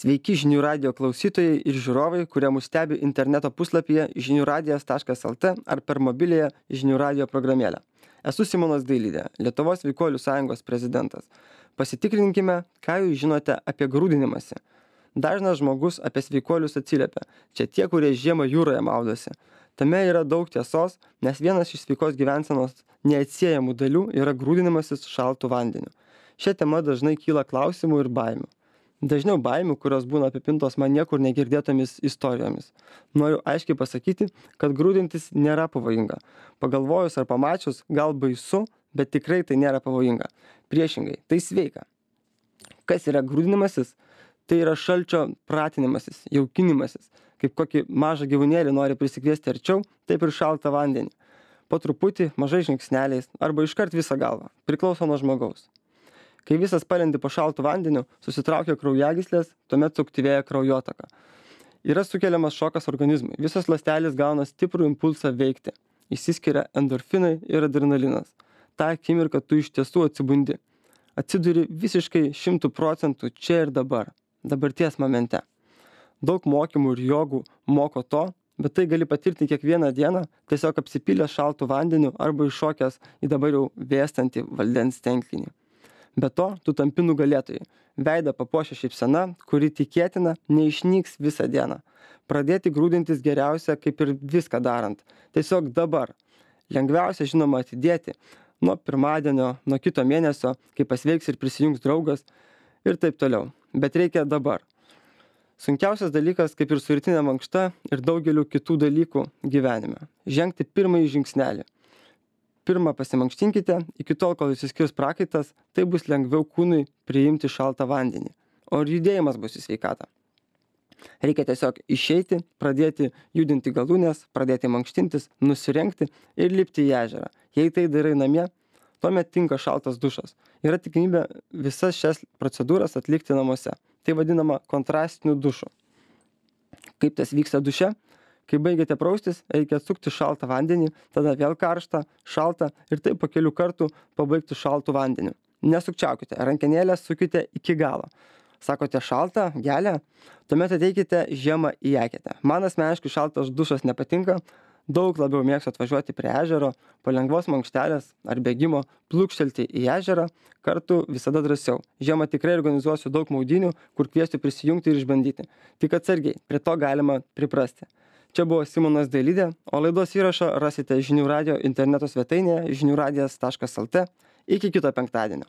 Sveiki žinių radijo klausytojai ir žiūrovai, kurie mus stebi interneto puslapyje žiniųradijas.lt ar per mobiliąją žinių radijo programėlę. Esu Simonas Dailidė, Lietuvos Sveikuolių sąjungos prezidentas. Pasitikrinkime, ką jūs žinote apie grūdinimąsi. Dažnas žmogus apie sveikuolius atsiliepia. Čia tie, kurie žiemą jūroje maudosi. Tame yra daug tiesos, nes vienas iš sveikos gyvensenos neatsiejamų dalių yra grūdinimasis šaltu vandeniu. Šia tema dažnai kyla klausimų ir baimių. Dažniau baimių, kurios būna apipintos man niekur negirdėtomis istorijomis. Noriu aiškiai pasakyti, kad grūdintis nėra pavojinga. Pagalvojus ar pamačius, gal baisu, bet tikrai tai nėra pavojinga. Priešingai, tai sveika. Kas yra grūdinimasis? Tai yra šalčio pratinimasis, jaukinimasis. Kaip kokį mažą gyvūnėlį nori prisikviesti arčiau, taip ir šaltą vandenį. Po truputį, mažai žingsneliais arba iškart visą galvą. Priklauso nuo žmogaus. Kai visas palendi po šaltu vandeniu, susitraukia kraujagyslės, tuomet suaktyvėja kraujotaka. Yra sukeliamas šokas organizmui. Visos ląstelės gauna stiprų impulsą veikti. Išsiskiria endorfinai ir adrenalinas. Ta akimirka tu iš tiesų atsibundi. Atsiduri visiškai 100% čia ir dabar. Dabarties momente. Daug mokymų ir jogų moko to, bet tai gali patirti kiekvieną dieną, tiesiog apsipylęs šaltu vandeniu arba iššokęs į dabar jau vėstantį vandens tenklinį. Be to, tu tampi nugalėtojai. Veidą papuošia šypsena, kuri tikėtina neišnyks visą dieną. Pradėti grūdintis geriausia, kaip ir viską darant. Tiesiog dabar. Lengviausia, žinoma, atidėti. Nuo pirmadienio, nuo kito mėnesio, kai pasveiks ir prisijungs draugas ir taip toliau. Bet reikia dabar. Sunkiausias dalykas, kaip ir su rytinė mankšta ir daugeliu kitų dalykų gyvenime. Žengti pirmąjį žingsnelį. Pirmą pasimankštinkite, iki tol, kol išsiskirs prakaitas, tai bus lengviau kūnui priimti šaltą vandenį. O ir judėjimas bus į sveikatą. Reikia tiesiog išeiti, pradėti judinti galūnes, pradėti mankštintis, nusirengti ir lipti į ežerą. Jei tai darai namie, tuomet tinka šaltas dušas. Yra tikimybė visas šias procedūras atlikti namuose. Tai vadinama kontrastiniu dušu. Kaip tas vyksta duše? Kai baigiate praustis, reikia atsukti šaltą vandenį, tada vėl karštą, šaltą ir taip po kelių kartų pabaigti šaltų vandeniu. Nesukčiaukite, rankenėlę sukite iki galo. Sakote šaltą, gelę, tuomet ateikite žiemą į eketę. Man asmeniškai šaltas dušas nepatinka, daug labiau mėgstu atvažiuoti prie ežero, po lengvos mankštelės ar bėgimo, plūkštelti į ežerą, kartu visada drąsiau. Žiemą tikrai organizuosiu daug maudynių, kur kviesiu prisijungti ir išbandyti. Tik atsargiai, prie to galima priprasti. Čia buvo Simonas Dailidė, o laidos įrašą rasite žinių radijo interneto svetainėje žiniųradijas.lt. Iki kito penktadienio.